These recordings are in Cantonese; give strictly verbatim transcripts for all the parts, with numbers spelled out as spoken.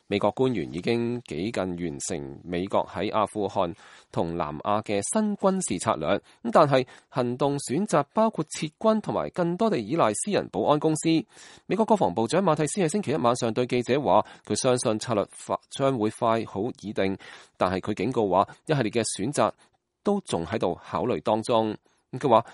美國官員已經幾近完成美國喺阿富汗同南亞嘅新軍事策略，咁但係行動選擇包括撤軍同埋更多地依賴私人保安公司。美國國防部長馬蒂斯喺星期一晚上對記者話，佢相信策略將會快好擬定，但係佢警告話一系列嘅選擇都仲喺度考慮當中。佢話，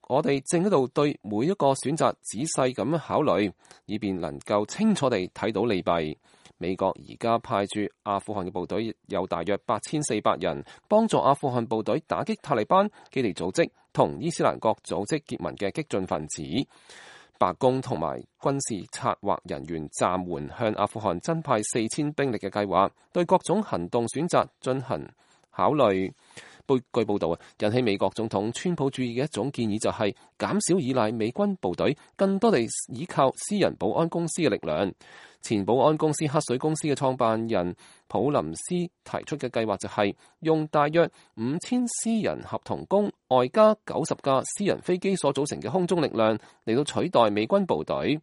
我哋正喺度對每一個選擇仔細咁考慮，以便能夠清楚地睇到利弊。美國而家派駐阿富汗嘅部隊有大約八千四百人，幫助阿富汗部隊打擊塔利班基地組織同伊斯蘭國組織結盟嘅激進分子。白宮同埋軍事策劃人員暫緩向阿富汗增派四千兵力嘅計劃，對各種行動選擇進行考慮。據報道啊，引起美國總統川普注意嘅一種建議就係減少依賴美軍部隊，更多地依靠私人保安公司嘅力量。前保安公司黑水公司嘅創辦人普林斯提出嘅計劃就係用大約五千私人合同工外加九十架私人飛機所組成嘅空中力量嚟到取代美軍部隊。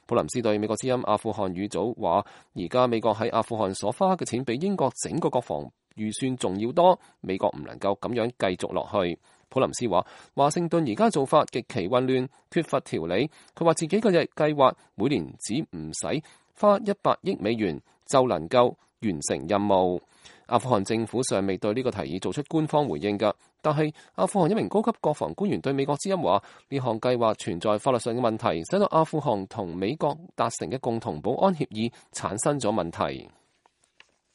普林斯對美國之音阿富汗語組話，而家美國喺阿富汗所花嘅錢比英國整個國防預算仲要多，美國唔能夠咁樣繼續落去。普林斯話，華盛頓而家做法極其混亂，缺乏條理。佢話自己嘅計劃每年只唔使花一百億美元就能夠完成任務。阿富汗政府尚未對呢個提議做出官方回應㗎，但係阿富汗一名高級國防官員對美國之音話，呢項計劃存在法律上嘅問題，使到阿富汗同美國達成嘅共同保安協議產生咗問題。